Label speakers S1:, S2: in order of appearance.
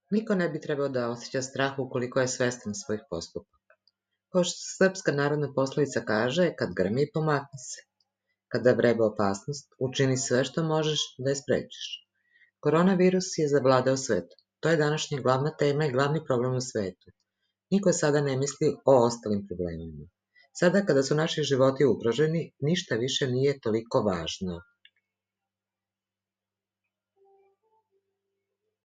S1: Niko ne bi trebao da osjeća strah ukoliko je svestan svojih postupaka. Kao što srpska narodna poslovica kaže, kad grmi, pomakni se. Kada vreba opasnost, učini sve što možeš da je sprečiš. Koronavirus je zavladao svetom. To je današnja glavna tema i glavni problem u svetu. Niko sada ne misli o ostalim problemima. Sada kada su naši životi ugroženi, ništa više nije toliko važno.